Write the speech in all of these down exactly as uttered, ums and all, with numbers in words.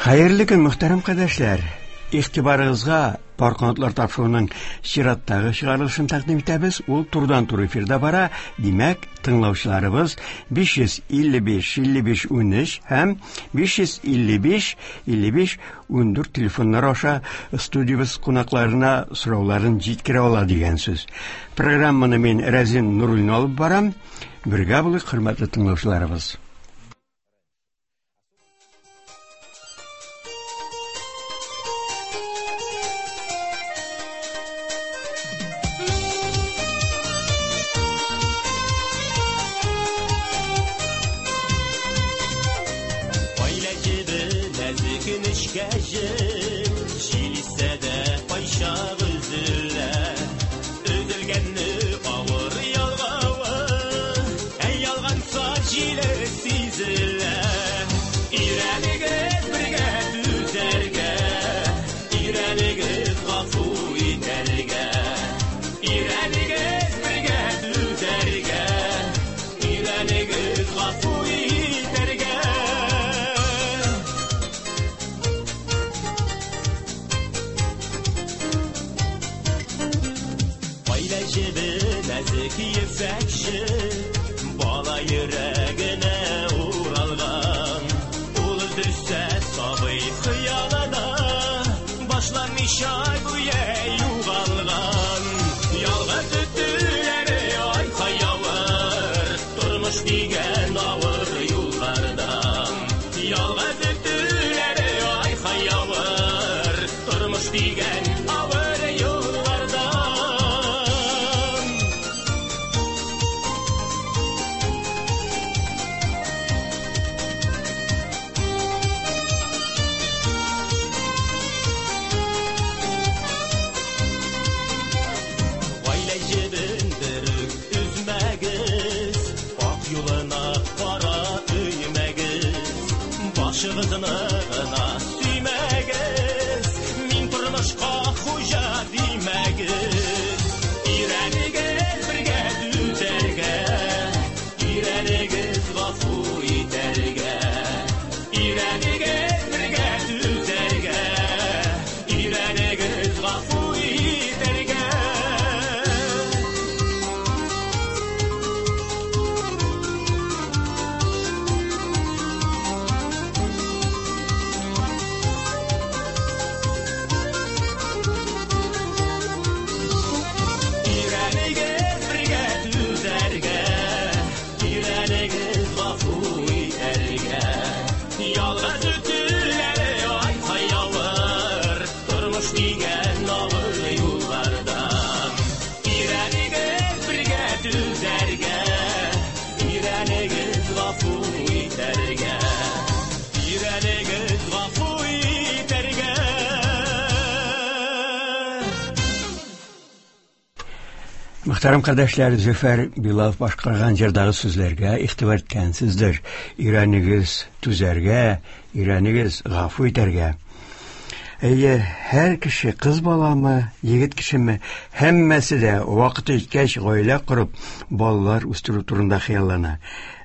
Хәерле көн, мөхтәрәм кардәшләр. Игътибарыгызга Пар канатлар тапшыруының чираттагы чыгарылышын тәкъдим итәбез. Ул турыдан-туры эфирда бара. Димәк, тыңлаучыларыбыз биш йөз илле биш илле биш унөч һәм биш йөз илле биш илле биш ундүрт телефоннары аша студиябез кунакларына сорауларын җиткерә ала дигән сүз. Программаны мин Рәзин Нуруллин алып барам. Бергә булыйк, хөрмәтле тыңлаучыларыбыз. Мөхтәрәм кардәшләр, Зөфәр Билалов башкарган җырдагы сүзләргә игътибар иткәнсездер. Өйрәнегез түзәргә, өйрәнегез гафу итәргә. Әйе, һәр кеше, кыз баламы, егет кешеме, һәммәсе дә вакыты җиткәч гаилә корып, балалар үстерү турында хыяллана.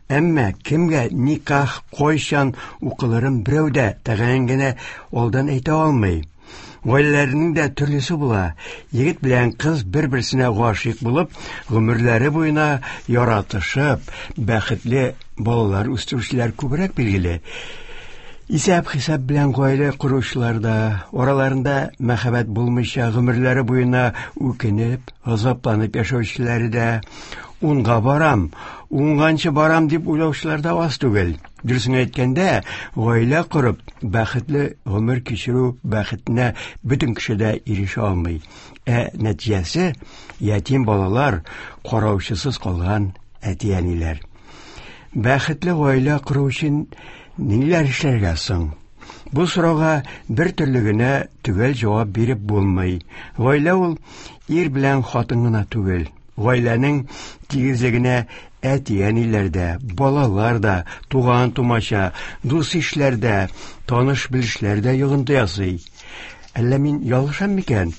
Әмма кемгә никах кайчан укылырын берәү дә тәгаен генә алдан әйтә алмый. Гаиләләрнең дә төрлесе була. Егет белән кыз бер-берсенә гашыйк булып, гомерләре буена яратышып, бәхетле балалар үстерүчеләр күбрәк билгеле. Исәп-хисап белән гаилә коручылар да, араларында мәхәббәт булмыйча гомерләре буена үкенеп, газапланып яшәүчеләре дә, унга барам, уңганчы барам дип уйлаучылар да аз түгел. Дөресен әйткәндә, гаилә корып, бәхетле гомер кичерү бәхетенә бөтен кеше дә ирешә алмый. Ә нәтиҗәсе ятим балалар, караучысыз калган әти-әниләр. Бәхетле гаилә кору өчен ниләр эшләргә соң? Бу сорауга бер төрле генә төгәл җавап биреп булмый. Гаилә ул ир белән хатын гына түгел. Гаиләнең тигезлегенә әти-әниләр дә, балалар да, туган-тумача, дус-ишләр дә, таныш-белешләр дә йогынты ясый. Әллә мин ялгышам микән?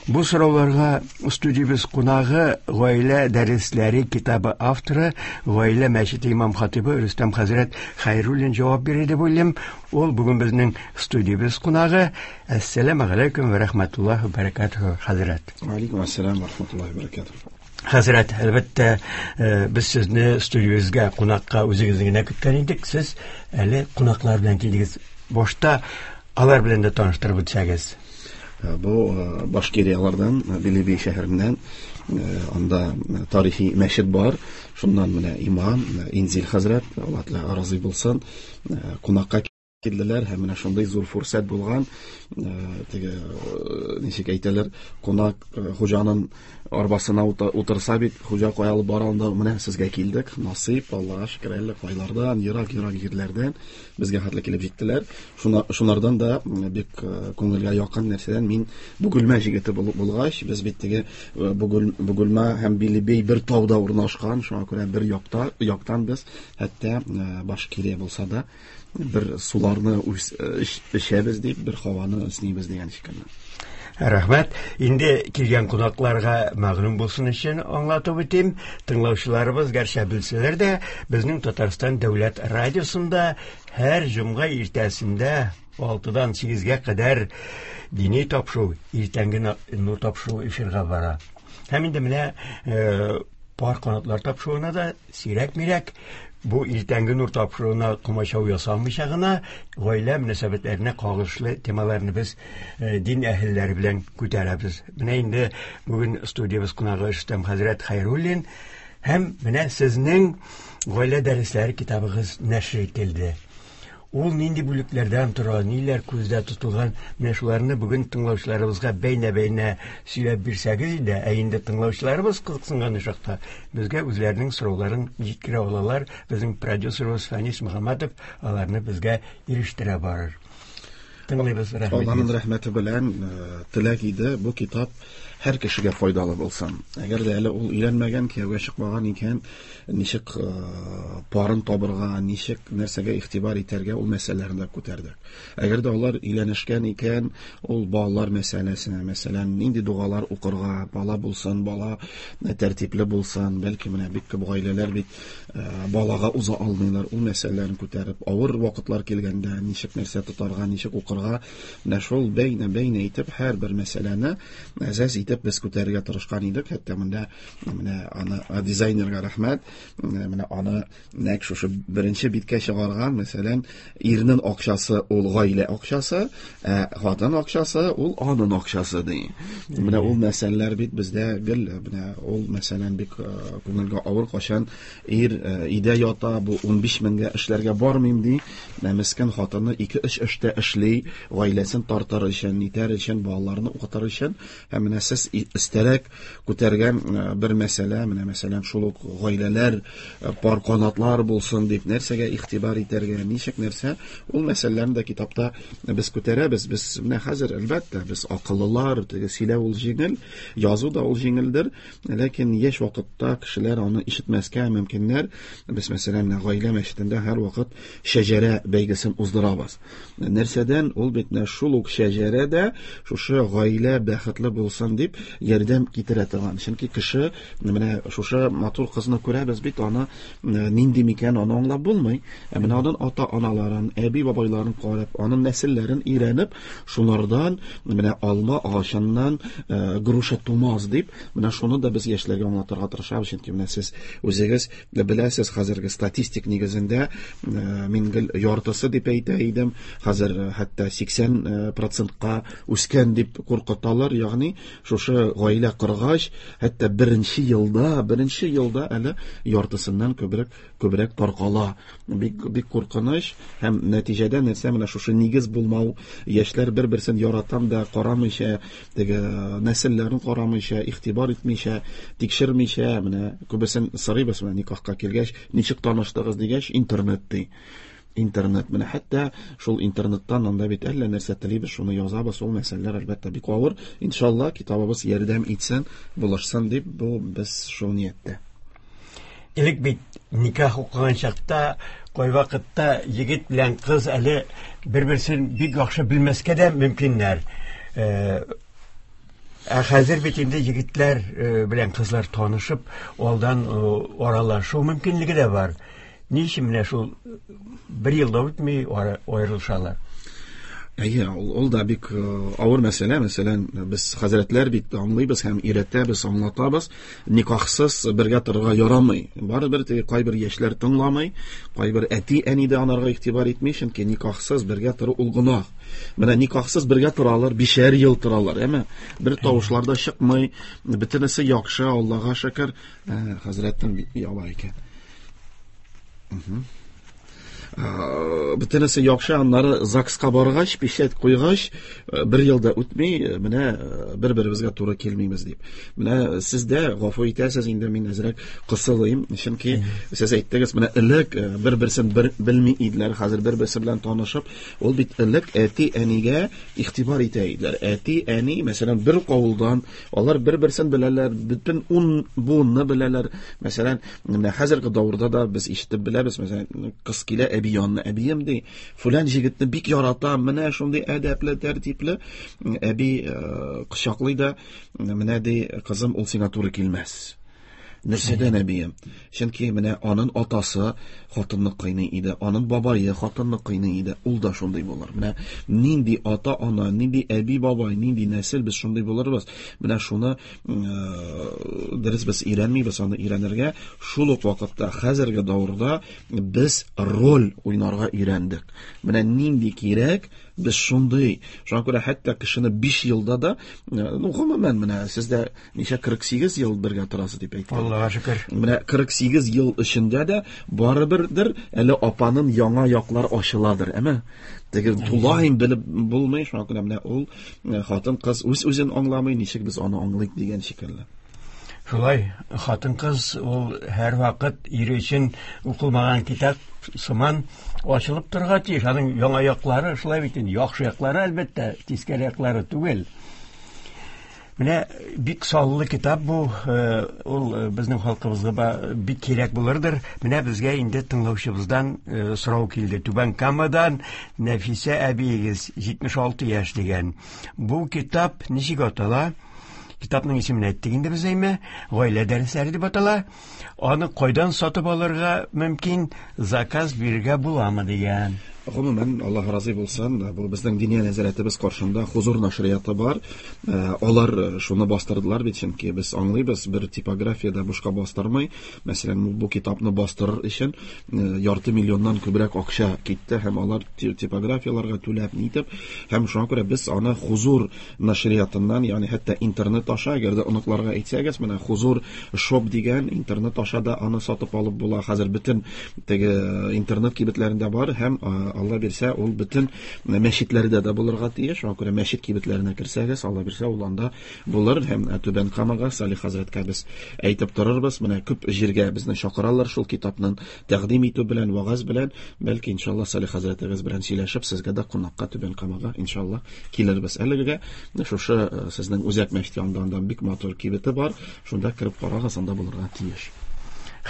Бу сорауларга студиябез кунагы Гаилә дәресләре китабы авторы, Гаилә мәчете имам хатибы Рөстәм хәзрәт Хәйруллин җавап бирде дип уйлыйм. Ул бүген безнең студиябез кунагы. Әссәламү галәйкүм вә рәхмәтуллаһи вә бәрәкәтүһ, хәзрәт. Ва алейкум ассалам ва рахматуллаһи ва бәрәкәтүһ. Хәзрәт, әлбәттә, без сезне студиябезгә кунакка үзегезне генә көткән идек. Сез әле кунаклар белән килдегез. Башта алар белән дә таныштырып үтсәгез. Бу Башкириялардан, Белебей шәһәреннән, анда тарихи мәчет бар. Шуннан менә имам Инзил хәзрәт, Аллаһ Тәгалә разый булсын, кунакка килделәр һәм менә шундый зур фурсат булган, теге ничек әйтәләр, кунак хуҗаның арбасына утырса бит, хуҗа кая алып бара, анда менә сезгә килдек, насыйп, Аллаһка шөкер, әллә кайлардан, ерак-ерак җирләрдән безгә хәтле килеп җиттеләр. Шунардан да бик күңелгә якын нәрсәдән, мин Бөгелмә җегете булгач, без бит теге Бөгелмә һәм Белебей бер тауда урнашкан, шуңа күрә бер якта, яктан без хәтта Башкирия булса да бер суларны эчәбез дип, бер һаваны эснибез дигән шикелле. Рәхмәт. Инде килгән кунакларга мәгълүм булсын өчен аңлатып үтим. Тыңлаучыларыбыз гәрчә белсәләр дә, безнең Татарстан дәүләт радиосында һәр җомга иртәсендә алтыдан сигезгә кадәр дини тапшыру, иртәнге нур тапшыру эфирга бара. Һәм инде менә пар канатлар тапшыруына да сирәк-мирәк бу иртәнге нур тапшыруына комачау ясалмыйча гына гаилә мөнәсәбәтләренә кагылышлы темаларны без дин әһелләре белән күтәрәбез. Менә инде бүген студиябез кунагы Рөстәм хәзрәт Хәйруллин һәм менә сезнең Гаилә дәресләре китабыгыз нәшер ителде. Ул нинди бүлекләрдән тора, ниләр күздә тотылган, менә шуларны бүген тыңлаучыларыбызга бәйнә-бәйнә сөйләп бирсәгез иде, ә инде тыңлаучыларыбыз кызыксынган очракта безгә үзләренең сорауларын җиткерә алалар. Безнең продюсерыбыз Фәнис Мөхәммәтов аларны безгә ирештерә барыр. Тыңлыйбыз, рәхмәт. Аллаһның рәхмәте белән теләк иде, бу китап һәр кешегә файдалы булсын. Әгәр дә әле ул өйләнмәгән, кияүгә чыкмаган икән, ничек парын табырга, ничек нәрсәгә игътибар итәргә, ул мәсьәләләрне дә күтәрдек. Әгәр дә алар өйләнешкән икән, ул балалар мәсьәләсенә, мәсәлән, нинди дугалар укырга, бала булсын, бала тәртипле булсын, бәлки менә бик күп гаиләләр бит балага уза алмыйлар, ул мәсьәләләрен күтәреп, авыр вакытлар килгәндә ничек нәрсә тотарга, ничек укырга, менә шул бәйнә-бәйнә итеп һәрбер мәсьәләне әзәз итеп без күтәрергә тырышкан идек. Хәтта монда менә аны дизайнерга рәхмәт, менә аны нәкъ шушы беренче биткә чыгарган, мәсәлән, ирнең акчасы ул гаилә акчасы, ә хатын акчасы ул аның акчасы ди. Менә ул мәсьәләләр бит бездә гел, менә ул мәсәлән бик күңелгә авыр, кашан ир өйдә ята, бу унбиш меңгә эшләргә бармыйм ди, менә мескен хатыны ике-өч эштә эшли, гаиләсен тартыр өчен, нитәр өчен, балаларны укытыр өчен. Һәм менә сез өстәрәк күтәргән бер мәсьәлә, менә мәсәлән шул ук гаиләләр пар канатлар булсын дип нәрсәгә игътибар итәргә, ничек нәрсә, ул мәсьәләләрне дә китапта без күтәрәбез. Без менә хәзер әлбәттә без акыллылар, теге сөйләү ул җиңел, язу да ул җиңелдер, ләкин яшь вакытта кешеләр аны ишетмәскә мөмкиннәр. Без мәсәлән менә гаилә мәчетендә һәр вакыт шәҗәрә бәйгесен уздырабыз. Нәрсәдән ул бит менә шул ук шәҗәрә дә шушы гаилә бәхетле булсын дип ярдәм китерә торган. Чөнки кеше менә шушы матур кызны күрәбез бит, аны нинди микән, аны аңлап булмый. Ә менә аның ата-аналарын, әби-бабайларын карап, аның нәселләрен өйрәнеп, шулардан менә алма агачыннан груша тумас дип, менә шуны да без яшьләргә аңлатырга тырышабыз. Чөнки менә сез үзегез беләсез, хәзерге статистик нигезендә мин гел яртысы дип әйтә идем, хәзер хәтта сиксән процентка үскән дип куркыталар. Ягъни шушы гаилә коргач, хәтта беренче елда, беренче елда әле яртысыннан күбрәк, күбрәк таркала. Бик, бик куркыныч. Һәм нәтиҗәдә нәрсә, менә шушы нигез булмау, яшьләр бер-берсен яратам да карамыйча, теге нәселләрен карамыйча, игътибар итмичә, тикшермичә, менә күбесен сорыйбыз, менә никахка килгәч, ничек таныштыгыз дигәч, интернет ди. Интернет, менә хәтта шул интернеттан анда бит әллә нәрсә телибез, шуны язабыз, ул мәсьәләләр әлбәттә бик авыр. Иншалла, китабыбыз ярдәм итсен, булышсын дип, бу без шул нияттә. Элек бит никах укыган чакта кайвакытта егет белән кыз әле бер-берсен бик яхшы белмәскә дә мөмкиннәр. Ә хәзер бит инде егетләр белән кызлар танышып, алдан аралашу мөмкинлеге дә бар. Ни өчен менә шул бер ел да үтми аерылышалар? Әйе, ул, ул да бик авыр мәсьәлә. Мәсәлән, без хәзрәтләр бит аңлыйбыз һәм өйрәтәбез, аңлатабыз, никахсыз бергә торырга ярамый. Барыбер теге кайбер яшьләр тыңламый, кайбер әти-әни дә анарга игътибар итми, чөнки никахсыз бергә тору ул гөнаһ. Менә никахсыз бергә торалар, бишәр ел торалар, әмма бер тавышлар да чыкмый, бөтенесе яхшы, Аллага шөкер. Хәзрәтнең яла икән. Бөтенесе яхшы, аннары ЗАГСка баргач, печать куйгач, бер ел да үтми, менә бер-беребезгә туры килмибез дип. Менә сез дә гафу итәсез, инде мин әзрәк кысылыйм, чөнки сез әйттегез, менә элек бер-берсен бер белми иделәр, хәзер бер-берсе белән танышып, ул бит элек әти-әнигә игътибар итә иделәр. Әти-әни, мәсәлән, бер авылдан, алар бер-берсен беләләр, бөтен ун буынны беләләр. Мәсәлән, менә хәзерге дәвердә дә без ишетеп беләбез, мәсәлән, кыз килә әби янына, әбием ди, фулан җегетне бик яратам, менә шундый әдәпле, тәртипле. Әби кочаклый да, менә ди, кызым, ул сиңа туры килмәс. Нәрсәдән, әбием? Чөнки менә аның атасы хатынны кыйный иде, аның бабае хатынны кыйный иде, ул да шундый булыр. Менә нинди ата-ана, нинди әби-бабай, нинди нәсел, без шундый булырбыз. Менә шуны дөрес без өйрәнмибез, аны өйрәнергә. Шул ук вакытта хәзерге дәвердә без роль уйнарга өйрәндек. Менә нинди кирәк, без шундый. Шуңа күрә хәтта кешене биш елда да, ну, гомумән, менә сездә ничә кырык сигез ел бергә торасыз дип әйттем. Аллага шөкер. Менә кырык сигез ел эчендә дә барыбердер әле апаның яңа яклар ачыладыр, әмма теге тулаем белеп булмый. Шуңа күрә менә ул хатын-кыз үз-үзен аңламый, ничек без аны аңлыйк дигән шикелле. Шулай, хатын-кыз ул һәр вакыт ире өчен укылмаган китап сыман ачылып торырга тиеш. Аның яңа яклары шулай бит инде, яхшы яклары әлбәттә, тискәре яклары түгел. Менә бик саллы китап бу, ул безнең халкыбызга бик кирәк булырдыр. Менә безгә инде тыңлаучыбыздан сорау килде. Түбән Камадан Нәфисә әбиегез, җитмеш алты яшь дигән. Бу китап ничек атала? Китапның исемен әйттек инде без, әйме? Гаилә дәресләре дип атала. Аны кайдан сатып алырга мөмкин, заказ бирергә буламы дигән. Гомумән, Аллаһ разый булсын, бу безнең диния нәзарәтебез каршында Хузур нәшрияты бар. Алар шуны бастырдылар бит, чөнки без аңлыйбыз, бер типографиядә бушка бастырмый. Мәсәлән, бу китапны бастырыр өчен ярты миллионнан күбрәк акча китте һәм алар типографияләргә түләп нитеп, һәм шуңа күрә без аны Хузур нәшриятыннан, ягъни хәтта интернет аша, әгәр дә оныкларга әйтсәгез, менә Хузур шоп дигән интернет аша да аны сатып алып була. Хәзер бөтен теге интернет кибетләрендә бар һәм Алла бирсә, ул бөтен мәчетләрдә дә булырга тиеш. Шуңа күрә мәчет кибетләренә керсәгез, Алла бирсә, ул анда булыр. Һәм Түбән Камага Салих хәзрәткә без әйтеп торырбыз. Менә күп җиргә безне чакыралар шул китапның тәкъдим итү белән, вагаз белән. Бәлки иншалла Салих хәзрәтебез белән сөйләшеп, сезгә дә кунакка Түбән Камага иншалла килербез. Әлегә шушы сезнең үзәк мәчет янында анда бик матур кибете бар. Шунда кереп карагыз, анда булырга тиеш.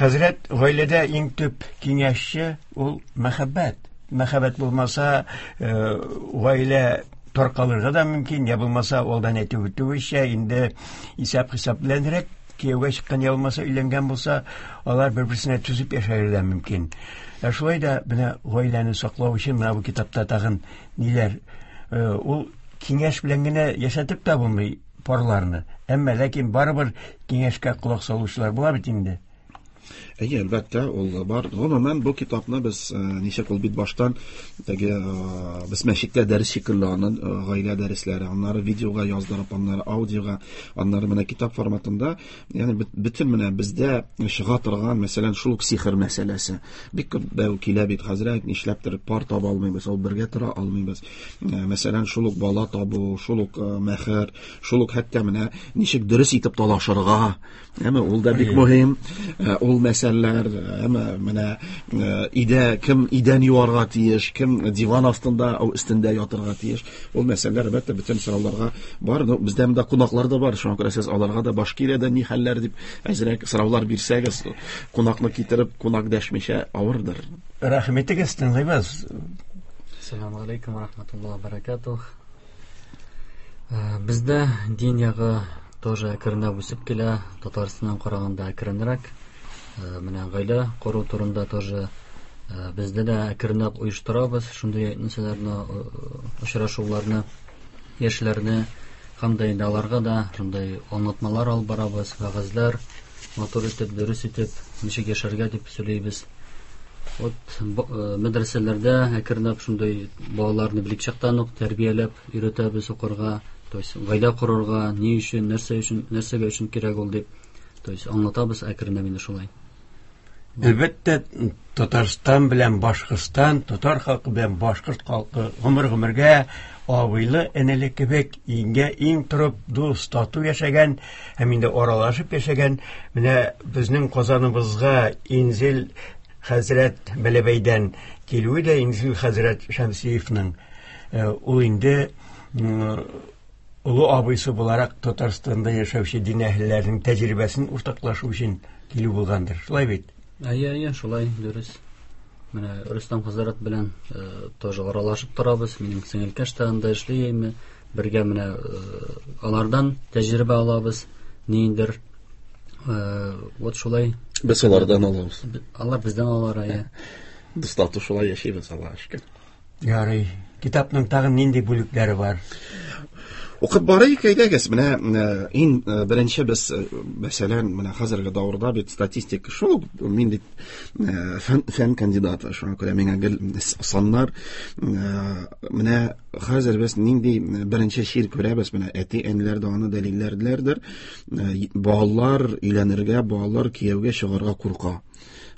Хәзрәт, гаиләдә иң төп киңәшче ул мәхәббәт. Мәхәббәт булмаса, гаилә таркалырга да мөмкин, я булмаса, алдан әйтеп үтүенчә, инде исәп-хисап беләнрәк кияүгә чыккан, я булмаса өйләнгән булса, алар бер-берсенә түзеп яшәргә дә мөмкин. Ә шулай да менә гаиләне саклау өчен менә бу китапта тагын ниләр, ул киңәш белән генә яшәтеп тә булмый парларны. Әмма ләкин барыбер киңәшкә колак салучылар була бит инде. Әйе, әлбәттә, ул бар. Гомумән, бу китапны без ничек ул бит баштан теге без мәчеттә дәрес шикелле аны гаилә дәресләре, аннары видеога яздырып, аннары аудиога, аннары менә китап форматында, ягъни бөтен менә бездә чыга торган, мәсәлән, шул ук сихер мәсьәләсе. Бик күп дәү килә бит, хәзрәт, нишләптер пар таба алмыйбыз, ул бергә тора алмыйбыз. Мәсәлән, шул ук бала табу, шул ук мәхер, шул ук хәтта менә ничек дөрес итеп талашырга, әмма ул да бик мөһим. Ул мәсьәләләр, әмма менә өйдә кем идән юарга тиеш, кем диван астында, ау өстендә ятырга тиеш. Ул мәсьәләләр әлбәттә бөтен сорауларга бар. Но бездә монда кунаклар да бар, шуңа күрә сез аларга да Башкириядә ни хәлләр дип әзрәк сораулар бирсәгез, кунакны китереп, кунак дәшмичә авырдыр. Рәхмәт итегез, тыңлыйбыз. Ассаламу алейкум ва рахматуллахи ва баракатух. Бездә дин ягы тоже әкренләп үсеп килә, Татарстаннан караганда әкренрәк. Менә гаилә кору турында тоже бездә дә әкренләп оештырабыз шундый нәрсәләрне, очрашуларны, яшьләрне һәм дә инде аларга да шундый аңлатмалар алып барабыз, вәгазьләр, матур итеп, дөрес итеп, ничек яшәргә дип сөйлибез. Вот мәдрәсәләрдә әкренләп шундый балаларны белек чактан ук тәрбияләп өйрәтәбез укырга, то есть гаилә корырга, ни өчен, нәрсә өчен, нәрсәгә өчен кирәк ул дип, то есть аңлатабыз әкренләп инде шулай. Әлбәттә, Татарстан белән Башкортстан, татар халкы белән башкорт халкы гомер-гомергә абыйлы энеле кебек иңгә иң торып, дус, тату яшәгән һәм инде аралашып яшәгән. Менә безнең Казаныбызга Инзил хәзрәт Бәләбәйдән килүе дә Инзил хәзрәт Шәмсиевның, ул инде олы абыйсы буларак Татарстанда яшәүче дин әһелләренең тәҗрибәсен уртаклашу өчен килү булгандыр. Шулай бит? Әйе, әйе, шулай, дөрес. Менә Рөстәм хәзрәт белән тоже аралашып торабыз. Минем сеңелкәш тә анда эшли, бергә менә алардан тәҗрибә алабыз, ниндер. Вот шулай. Без алардан алабыз. Алар бездән алар, әйе. Дус тату шулай яшибез, Аллаһка шөкер. Ярый. Китапның тагын нинди бүлекләре бар? Укып барыйк, әйдәгез. Менә иң беренче без, мәсәлән, менә хәзерге дәвердә бит статистика шул, мин бит фән, фән кандидаты, шуңа күрә миңа гел саннар. Менә хәзер без нинди беренче чир күрәбез, менә әти-әниләр дә аны дәлилләрләрдер. Балалар өйләнергә, балалар кияүгә чыгарга курка.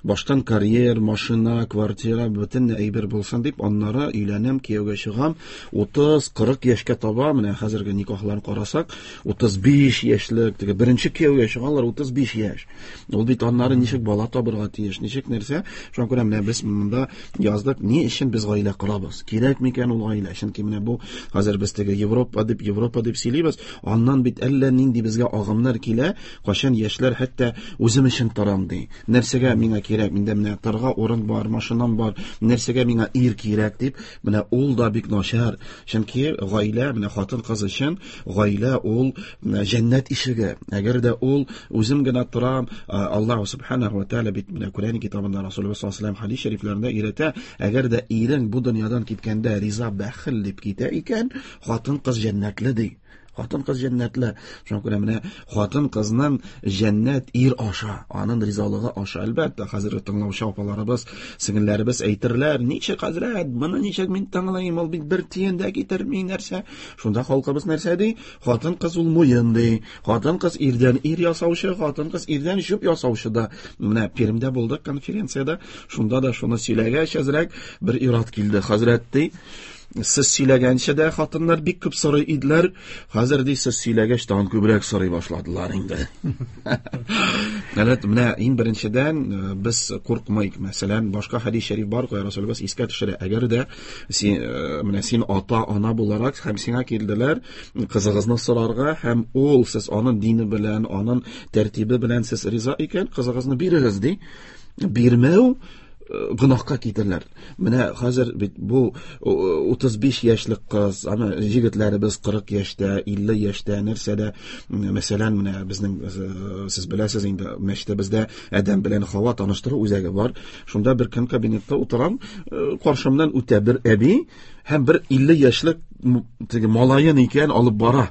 Баштан карьер, машина, квартира, бөтен әйбер булсын дип, аннары өйләнәм, кияүгә чыгам. утыз, кырык яшькә таба, менә хәзерге никахларны карасак, утыз биш яшьлек, теге беренче кияүгә чыгалар утыз биш яшь. Ул бит аннары ничек бала табырга тиеш, ничек нәрсә. Шуңа күрә менә без монда яздык, ни өчен без гаилә корабыз? Кирәк микән ул гаилә? Чөнки менә бу хәзер без теге Европа дип, Европа дип сөйлибез, аннан бит әллә нинди безгә агымнар килә, кайчан яшьләр хәтта үзем өчен торам ди. Нәрсәгә миңа кирәк, миндә менә торга урын бар, машинам бар, нәрсәгә миңа ир кирәк дип, менә ул да бик начар. Чөнки гаилә, менә хатын-кыз өчен гаилә ул җәннәт ишеге. Әгәр дә ул үзем генә торам, Аллаһ субханаһу ва тааля бит менә Коръән китабында Расулуллаһ саллаллаһу алейһи ва саллям хадис шәрифләрендә өйрәтә, әгәр дә ирең бу дөньядан киткәндә риза бәхил дип китә икән, хатын-кыз җәннәтле ди. Хатын-кыз җәннәтле. Шуңа күрә менә хатын-кызның җәннәт ир аша, аның ризалыгы аша. Әлбәттә, хәзерге тыңлаучы апаларыбыз, сеңелләребез әйтерләр, ничек хәзрәт, моны ничек мин тыңлыйм, ул бит бер тиен дә китерми нәрсә. Шунда халкыбыз нәрсә ди? Хатын-кыз ул муен ди. Хатын-кыз ирдән ир ясаучы, хатын-кыз ирдән җүп ясаучы да. Менә Пермьдә булдык конференциядә, шунда да шуны сөйләгәч, әзрәк бер ир-ат килде. Хәзрәт ди, сез сөйләгәнчә дә хатыннар бик күп сорый иделәр, хәзер ди сез сөйләгәч тагын күбрәк сорый башладылар инде. Әлбәттә, менә иң беренчедән без куркмыйк. Мәсәлән, башка хадис шәриф бар, кая Расулыбыз искә төшерә. Әгәр дә син, менә син ата-ана буларак һәм сиңа килделәр кызыгызны сорарга, һәм ул сез аның дине белән, аның тәртибе белән сез риза икән, кызыгызны бирегез ди. Бирмәү гөнаһка китерләр. Менә хәзер бит бу утыз биш яшьлек кыз, аны егетләребез кырык яшьтә, илле яшьтә, нәрсәдә, мәсәлән, менә безнең, сез беләсез инде, мәчетебездә Адәм белән Хава таныштыру үзәге бар. Шунда бер көн кабинетта утырам, каршымнан үтә бер әби һәм бер илле яшьлек теге малаен икән алып бара.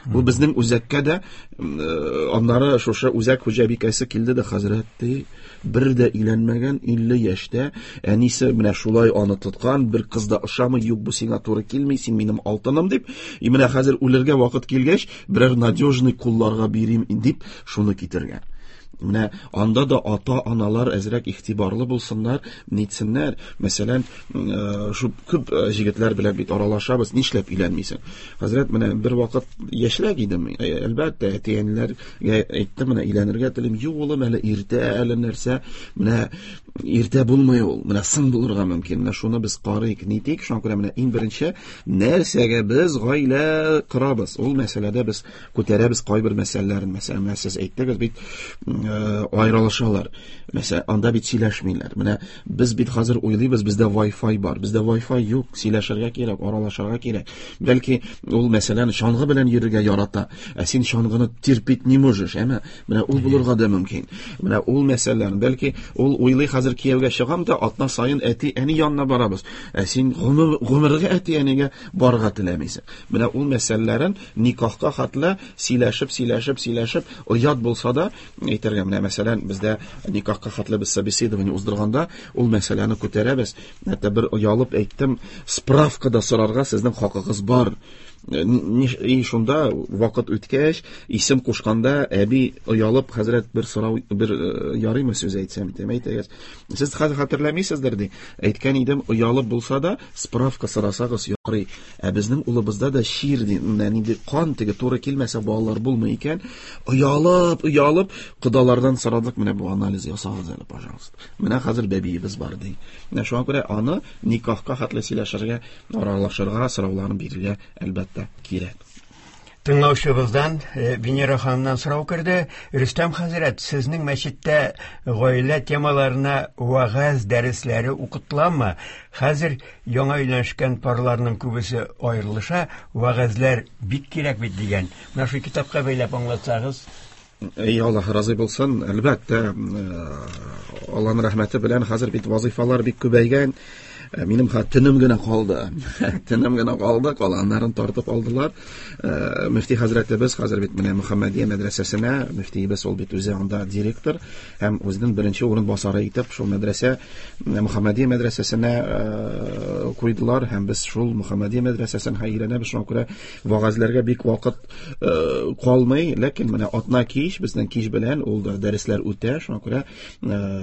Бу безнең үзәккә дә, аннары шушы үзәк хуҗабикәсе килде дә, хәзрәт ди, бер дә өйләнмәгән, илле яшьтә, әнисе менә шулай аны тоткан, бер кыз да ошамый, юк, бу сиңа туры килми, син минем алтыным дип, и менә хәзер үлергә вакыт килгәч, берәр надежный кулларга бирим дип шуны китергән. Менә анда да ата-аналар әзрәк игътибарлы булсыннар, нитсеннәр. Мәсәлән, шу күп җегетләр белән бит аралашабыз, нишләп өйләнмисең? Хәзрәт, менә бер вакыт яшьрәк идем, әлбәттә, әти-әниләргә әйттем, менә өйләнергә телим, юк, улым, әле иртә, әле нәрсә. Менә Иртә булмый ул, менә соң булырга мөмкин. Менә шуны без карыйк, нитик. Шуңа күрә менә иң беренче нәрсәгә без гаилә корабыз? Ул мәсьәләдә без күтәрәбез кайбер мәсьәләләрен. Мәсәлән, менә сез әйттегез бит, аерылышалар. Мәсәлән, анда бит сөйләшмиләр. Менә без бит хәзер уйлыйбыз, бездә Wi-Fi бар. Бездә Wi-Fi юк, сөйләшергә кирәк, аралашырга кирәк. Бәлки ул мәсәлән чаңгы белән йөрергә ярата, ә син чаңгыны терпеть не можешь, әмма менә ул булырга да мөмкин. Менә ул мәсьәләләр, бәлки ул уйлый хәзер кияүгә чыгам да атна саен әти-әни янына барабыз. Ә син гомергә әти-әнигә барырга теләмисең. Менә ул мәсьәләләрен никахка хәтле сөйләшеп, сөйләшеп, сөйләшеп, оят булса да әйтергә. Менә мәсәлән, бездә никахка хәтле без собеседование уздырганда ул мәсьәләне күтәрәбез. Хәтта бер оялып әйттем, справка да сорарга сезнең хакыгыз бар. И шунда вакыт үткәч, исем кушканда әби оялып, хәзрәт бер сорау, бер ярыймы сүз әйтсәм, дип әйтәгез. Сез хәзер хәтерләмисездер ди. Әйткән идем, оялып булса да справка сорасагыз ярый. Ә безнең улыбызда да чир ди, менә нинди кан теге туры килмәсә балалар булмый икән. Оялып, оялып кодалардан сорадык, менә бу анализ ясагыз әле, пожалуйста. Менә хәзер бәбиебез бар ди. Менә шуңа күрә аны никахка хәтле сөйләшергә, аралашырга, сорауларын бирергә әлбәттә кирәк. Тыңлаучыбыздан Венера ханымнан сорау керде. Рөстәм хәзрәт, сезнең мәчеттә гаилә темаларына вәгазь дәресләре укытыламы? Хәзер яңа өйләнешкән парларның күбесе аерылыша, вәгазьләр бик кирәк бит дигән. Менә шул китапка бәйләп аңлатсагыз. Эй, Аллаһ разый булсын. Әлбәттә, Аллаһның рәхмәте белән хәзер бит вазифалар бик күбәйгән. Минем төнем генә калды. Төнем генә калды, калганнарын тартып алдылар. Мөфти хәзрәтебез хәзер бит менә Мөхәммәдия мәдрәсәсенә, мөфтиебез ул бит үзе анда директор һәм үзенең беренче урынбасары итеп шул мәдрәсә Мөхәммәдия мәдрәсәсенә куйдылар һәм без шул Мөхәммәдия мәдрәсәсен өйрәнәбез. Шуңа күрә вәгазьләргә бик вакыт калмый, ләкин менә атна кич безнең кич белән ул да дәресләр үтә. Шуңа күрә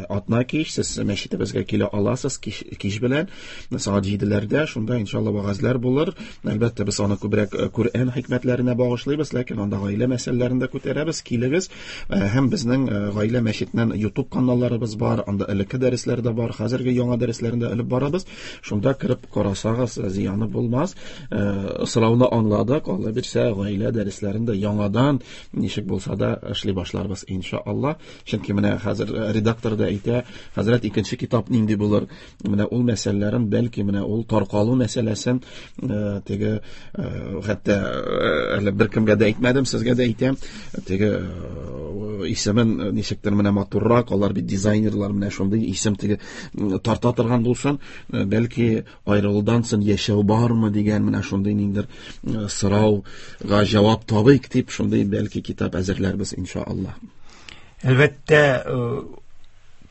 атна кич сез мәчетебезгә килә аласыз кич, кич белән сәгать җиделәрдә, шунда иншалла вәгазьләр булыр. Әлбәттә, без аны күбрәк Коръән хикмәтләренә багышлыйбыз, ләкин анда гаилә мәсьәләләрен дә күтәрәбез. Килегез, һәм безнең гаилә мәчетеннән YouTube каналларыбыз бар, анда элекке дәресләр дә бар, хәзерге яңа дәресләрен дә элеп барабыз. Шунда кереп карасагыз, зыяны булмас. Сорауны аңладык, Алла бирсә, гаилә дәресләрен дә яңадан ничек булса да эшли башларбыз иншалла. Чөнки менә хәзер редактор да әйтә, хәзрәт, икенче китап нинди булыр? Менә ул мәсьәләләрен, бәлки менә ул таркалу мәсьәләсен теге хәтта әле беркемгә дә әйтмәдем, сезгә дә әйтәм, теге исемен ничектер менә матуррак, алар бит дизайнерлар, менә шундый исем теге тарта торган булсын, бәлки аерылудан соң яшәү бармы дигән менә шундый ниндер сорауга җавап табыйк дип шундый бәлки китап әзерләрбез иншалла. Әлбәттә,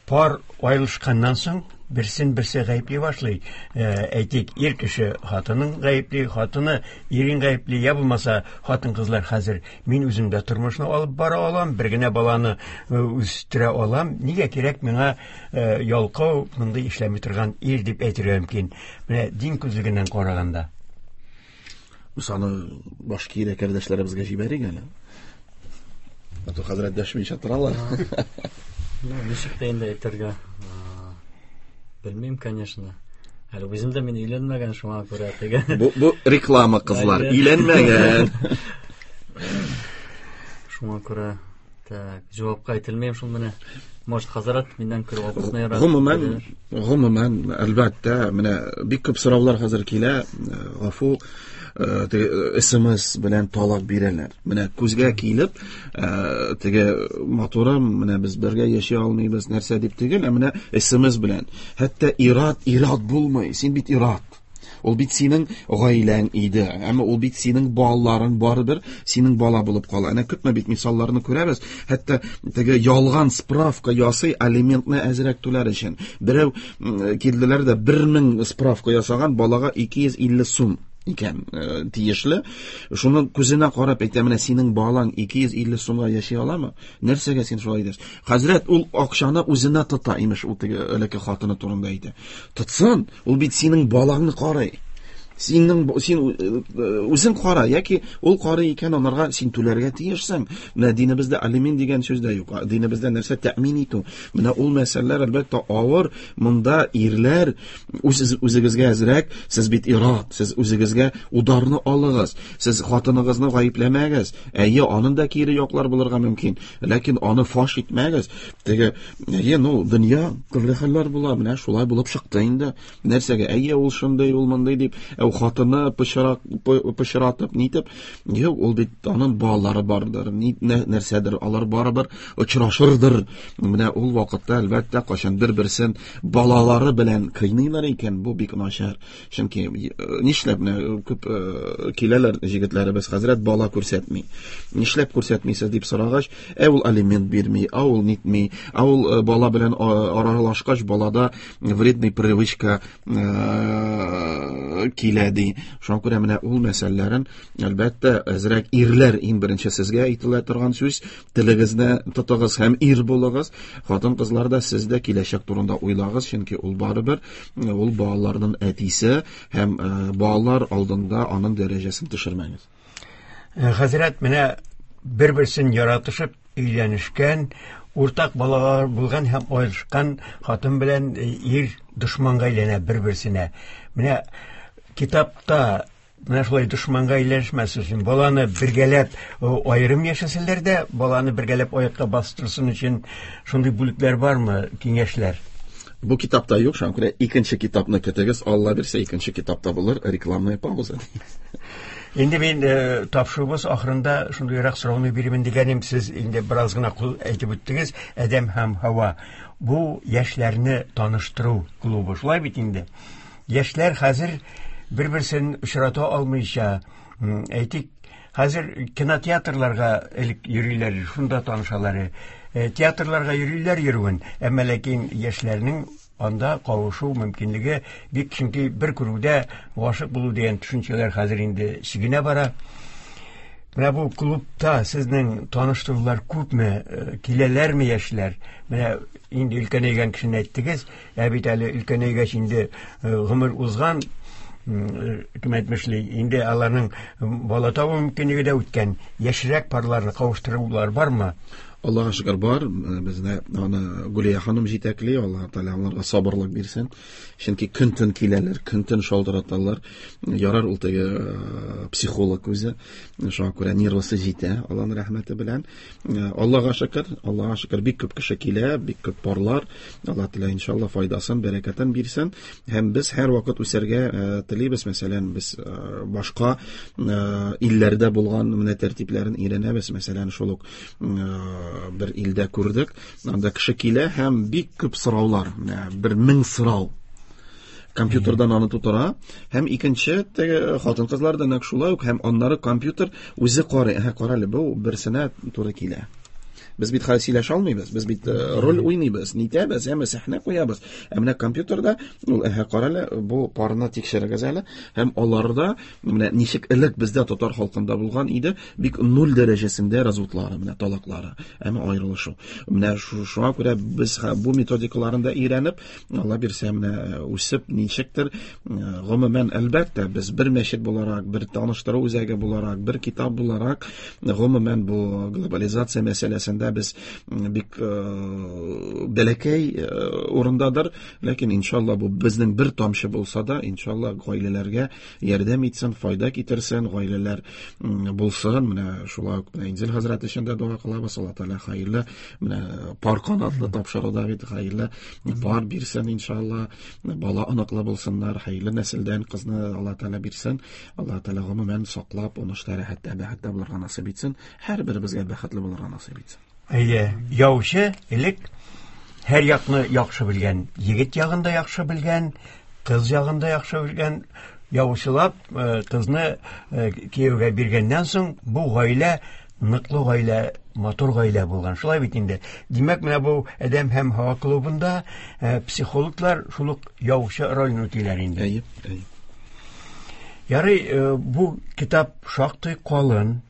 пар аерылышканнан соң берсен берсе гаепли башлый. Әйтик, ир кеше хатынын гаепли, хатыны ирен гаепли, я булмаса хатын-кызлар хәзер мин үзем дә тормышны алып бара алам, бер генә баланы үстерә алам, нигә кирәк миңа ялкау, мондый эшләми торган ир дип әйтергә мөмкин. Менә дин күзлегеннән караганда. Без аны башка кардәшләребезгә җибәрик әле. Ату хәзрәт дәшмичә торалар. Ну, ничек тә инде әйтергә белмим, конечно. Әле үзем дә мин өйләнмәгән, шуңа күрә теге. Бу, бу реклама, кызлар, өйләнмәгән. Шуңа күрә так, җавапка әйтелмим шул менә. Может, хәзрәт миннән күрә вакытны ярат. Гомумән, гомумән, әлбәттә, менә бик күп сораулар хәзер килә. Гафу, эс эм эс белән талак бирәләр. Менә күзгә килеп, теге матурым, менә без бергә яши алмыйбыз, нәрсә дип түгел, ә менә эс эм эс белән. Хәтта ират, ират булмый. Син бит ират. Ул бит синең гаиләң иде, әмма ул бит синең балаларың барыбер синең бала булып кала. Әнә күпме бит мисалларны күрәбез. Хәтта теге ялган справка ясый алиментны әзрәк түләр өчен. Берәү килделәр дә бер мең справка ясаган балага ике йөз илле сум икән тиешле. Шуның күзенә карап әйтә, менә синең балаң ике йөз илле сумга яши аламы? Нәрсәгә син шулай дисең? Хәзрәт ул акчаны үзенә тота, имеш, ул теге элекке хатыны турында әйтә. Тотсын, ул бит синең балаңны карый. Синең син үзең кара, яки ул карый икән, анарга син түләргә тиешсең. Менә динебездә алимент дигән сүз дә юк. Динебездә нәрсә тәэмин итү. Менә ул мәсьәләләр әлбәттә авыр. Монда ирләр үз үзегезгә әзрәк, сез бит ират, сез үзегезгә ударны алыгыз. Сез хатыныгызны гаепләмәгез. Әйе, аның да кире яклар булырга мөмкин, ләкин аны фаш итмәгез. Теге, әйе, ну, дөнья төрле хәлләр була, менә шулай булып чыкты инде. Нәрсәгә? Әйе, ул шундый, ул мондый дип, ә хатыны пычрак пычратып, нитеп, юк, ул бит аның балалары бардыр, нәрсәдер, алар барыбер очрашырдыр. Менә ул вакытта әлбәттә кайчан бер-берсен балалары белән кыйныйлар икән, бу бик начар. Чөнки нишләп менә күп киләләр җегетләребез, хәзрәт бала күрсәтми. Нишләп күрсәтмисез дип сорагач, ә ул алимент бирми, ә ул нитми, ә ул бала белән аралашкач балада вредный привычка килә ди. Шуңа күрә менә ул мәсьәләләрен әлбәттә әзрәк ирләр иң беренче сезгә әйтелә торган сүз, телегезне тотыгыз һәм ир булыгыз. Хатын-кызлар да сез дә киләчәк турында уйлагыз, чөнки ул барыбер ул балаларның әтисе һәм балалар алдында аның дәрәҗәсен төшермәгез. Хәзрәт, менә бер-берсен яратышып өйләнешкән, уртак балалар булган һәм аерылышкан хатын белән ир дошманга әйләнә бер-берсенә. Менә китапта менә шулай дошманга әйләнешмәс өчен баланы бергәләп аерым яшәсәләр дә, баланы бергәләп аякка бастырсын өчен шундый бүлекләр бармы, киңәшләр? Бу китапта юк, шуңа күрә икенче китапны көтегез, Алла бирсә икенче китапта булыр, рекламная пауза. Инде мин э, тапшыруыбыз ахырында шундыйрак сорауны бирәмен дигәнем, сез инде бераз гына кул әйтеп үттегез, Адәм һәм Һава. Бу яшьләрне таныштыру клубы. Шулай бит инде. Яшьләр хәзер бер-берсен очрата алмыйча, әйтик, хәзер кинотеатрларга элек йөриләр, шунда танышалар. Театрларга йөриләр йөрүен, әмма ләкин яшьләрнең анда кавышу мөмкинлеге бик, чөнки бер күрүдә гашык булу дигән төшенчәләр хәзер инде чигенә бара. Менә бу клубта сезнең таныштырулар күпме, киләләрме яшьләр? Менә инде өлкәнәйгән кешене әйттегез, ә бит әле өлкәнәйгәч инде гомер узган, кем әйтмешли, инде аларның бала табу мөмкинлеге дә үткән. Яшьрәк парларны кавыштырулар бармы? Аллаһка шөкер бар. Безне аны Гүлия ханым җитәкли, Аллаһ Тәгалә аларга сабырлык бирсен. Чөнки көн-төн киләләр, көн-төн шалтыраталар. Ярар ул теге психолог үзе. Шуңа күрә нервысы җитә, Аллаһның рәхмәте белән. Аллаһка шөкер, Аллаһка шөкер, бик күп кеше килә, бик күп парлар. Аллаһ Тәгалә иншалла файдасын, бәрәкәтен бирсен. Һәм без һәр вакыт үсәргә телибез. Мәсәлән, без башка илләрдә булган менә тәртипләрен өйрәнәбез. Мәсәлән, шул ук бер илдә күрдек, анда кеше килә һәм бик күп сораулар, менә бер мең сорау. Компьютердан аны тутыра, һәм икенче теге хатын-кызлар да нәкъ шулай ук, һәм аннары компьютер үзе карый, әһә, кара әле, бу берсенә туры килә. Без бит хәзер сөйләшә алмыйбыз, без бит роль уйныйбыз, нитәбез, әмма сәхнә куябыз. Ә менә компьютерда ул, әһә, кара әле, бу парны тикшерегез әле, һәм аларда менә ничек элек бездә татар халкында булган иде, бик нуль дәрәҗәсендә разводлары, менә талаклары, әмма аерылышу. Менә шуңа күрә без бу методикаларын да өйрәнеп, Алла бирсә, менә үсеп ничектер, гомумән, әлбәттә, без бер мәчет буларак, бер таныштыру үзәге буларак, бер китап буларак, гомумән бу глобализация мәсьәләсендә без бик бәләкәй урындадыр, ләкин иншалла бу безнең бер тамчы булса да, иншалла гаиләләргә ярдәм итсен, файда китерсен, гаиләләр булсын. Менә шулай ук Инзил хәзрәт өчен дә дога кылабыз, Алла Тәгалә хәерле, менә пар канатлы тапшыруда бит хәерле пар бирсен иншалла, бала оныклы булсыннар, хәерле нәселдән кызны Алла Тәгалә бирсен, Алла Тәгалә гомумән саклап, уңышта, рәхәттә, бәхеттә булырга насыйп итсен, һәрберебезгә бәхетле булырга насыйп итсен. Әйе, яучы элек һәр якны яхшы белгән, егет ягын да яхшы белгән, кыз ягын да яхшы белгән. Яучылап кызны кияүгә биргәннән соң бу гаилә ныклы гаилә, матур гаилә булган. Шулай бит инде. Димәк, менә бу Адәм һәм Һава клубында психологлар шул ук яучы ролен үтиләр инде. Әйе, әйе. Ярый, бу китап шактый калын.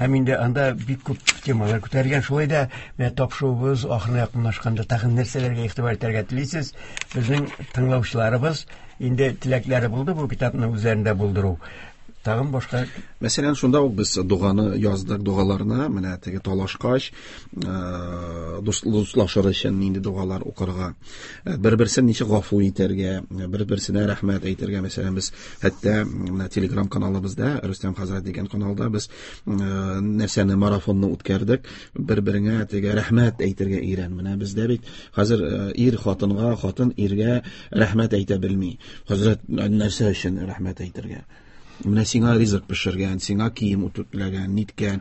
Һәм инде анда бик күп темалар күтәргән. Шулай да менә тапшыруыбыз ахырына якынлашканда тагын нәрсәләргә игътибар итәргә телисез? Безнең тыңлаучыларыбыз инде теләкләре булды бу китапны үзләрендә булдыру. Тагын башка Мәсәлән, шунда ук без дуганы яздык, дугаларны, менә теге талашкач, дуслашыр өчен нинди дугалар укырга, бер-берсен ничек гафу итәргә, бер-берсенә рәхмәт әйтергә. Мәсәлән, без хәтта менә Telegram каналыбызда, Рөстәм хәзрәт дигән каналда без нәрсәне марафонны үткәрдек, бер-береңә теге рәхмәт әйтергә өйрән. Менә бездә бит хәзер ир хатынга, хатын иргә рәхмәт әйтә белми. Хәзрәт, нәрсә өчен рәхмәт әйтергә? Менә сиңа ризык пешергән, сиңа кием үтүкләгән, ниткән,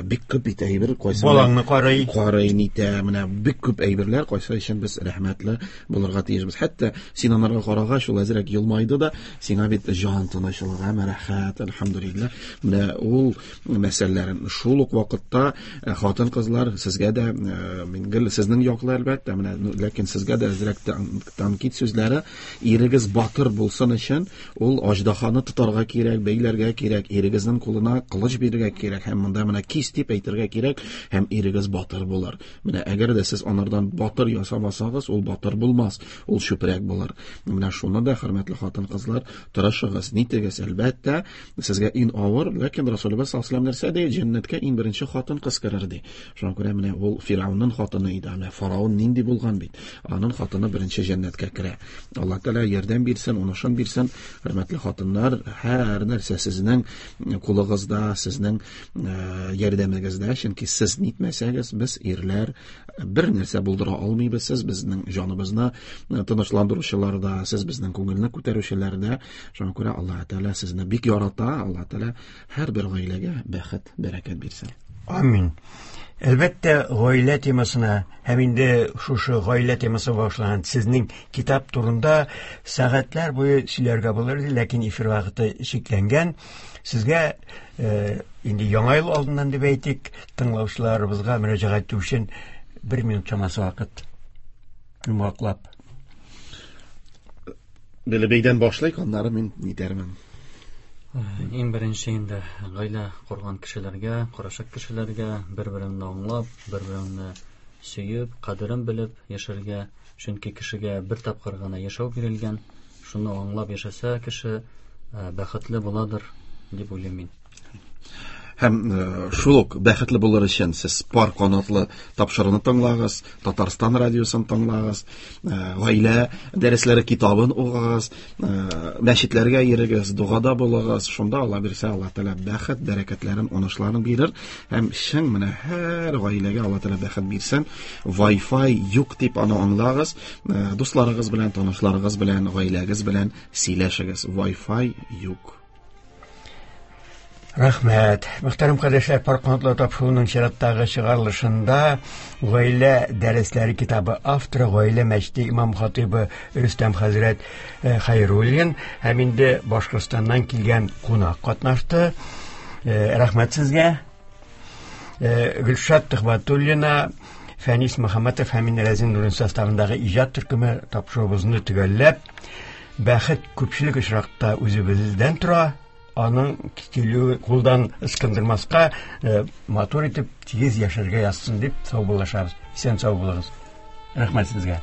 бик күп бит әйбер, кайсы балаңны карый, карый, нитә, менә бик күп әйберләр, кайсы өчен без рәхмәтле булырга тиешбез. Хәтта син анарга карагач, ул әзрәк елмайды да, сиңа бит җан тынычлыгы, рәхәт, әлхәмдүлилләһ. Менә ул мәсьәләләрен шул ук вакытта хатын-кызлар сезгә дә, мин гел сезнең яклы әлбәттә, менә ләкин сезгә дә әзрәк тәнкыйть сүзләре, ирегез батыр булсын өчен ул аждаһаны тотарга кирәк, бәйләргә кирәк, ирегезнең кулына кылыч бирергә кирәк һәм монда менә кис дип әйтергә кирәк, һәм ирегез батыр булыр. Менә әгәр дә сез анардан батыр ясамасагыз, ул батыр булмас, ул чүпрәк булыр. Менә шуны да, хөрмәтле хатын-кызлар, тырышыгыз, нитегез, әлбәттә, сезгә иң авыр, ләкин Расулыбыз саллаллаһу алейһи ва сәлләм нәрсә ди? Җәннәткә иң беренче хатын-кыз керер ди. Шуңа күрә менә ул Фирауның хатыны иде. Менә фараон нинди булган бит. Аның хатыны беренче җәннәткә керә. Аллаһ Тәгалә ярдәм бирсен, унышын бирсен, хөрмәтле хатыннар, һәр нәрсә сезнең кулыгызда, сезнең ярдәмегездә, чөнки сез нитмәсәгез, без ирләр бер нәрсә булдыра алмыйбыз. Сез безнең җаныбызны тынычландыручылар да, сез безнең күңелне күтәрүчеләр дә. Шуңа күрә Аллаһ Тәгалә сезне бик ярата. Аллаһ Тәгалә һәрбер гаиләгә бәхет, бәрәкәт бирсен. Амин. Әлбәттә, гаилә темасына һәм инде шушы гаилә темасы башланган сезнең китап турында сәгатьләр буе сөйләргә булыр иде, ләкин эфир вакыты чикләнгән. Сезгә инде яңа ел алдыннан дип әйтик, тыңлаучыларыбызга мөрәҗәгать итү өчен бер минут чамасы вакыт. Йомгаклап. Белебейдән башлыйк, аннары мин нитәрмен. Иң беренче инде гаилә корган кешеләргә, корачак кешеләргә бер-береңне аңлап, бер-береңне сөеп, кадерен белеп яшәргә, чөнки кешегә бер тапкыр гына яшәү бирелгән, шуны аңлап яшәсә кеше бәхетле буладыр дип уйлыйм мин. Һәм шул ук бәхетле булыр өчен сез пар канатлы тапшыруны тыңлагыз, Татарстан радиосын тыңлагыз, гаилә дәресләре китабын укыгыз, мәчетләргә йөрегез, догада булыгыз. Шунда Алла бирсә, Алла Тәгалә бәхет, бәрәкәтләрен, уңышларын бирер. Һәм чын менә һәр гаиләгә Алла Тәгалә бәхет бирсен. Wi-Fi юк дип аны аңлагыз. Дусларыгыз белән, танышларыгыз белән, гаиләгез белән сөйләшегез. Wi-Fi юк. Рәхмәт. Мөхтәрәм кардәшләр, пар канатлы тапшыруның чираттагы чыгарылышында гаилә дәресләре китабы авторы, гаилә мәчете имам хатибы Рөстәм хәзрәт Хәйруллин һәм инде Башкортстаннан килгән кунак катнашты. Рәхмәт сезгә. Гөлшат Төхбәтуллина, Фәнис Мөхәммәтов һәм Рәзин Нурин составындагы иҗат төркеме тапшыруыбызны төгәлләп, бәхет күпчелек очракта үзебездән тора. Аның килүе кулдан ычкындырмаска, матур итеп тигез яшәргә язсын дип саубуллашабыз. Исән сау булыгыз. Рәхмәт сезгә.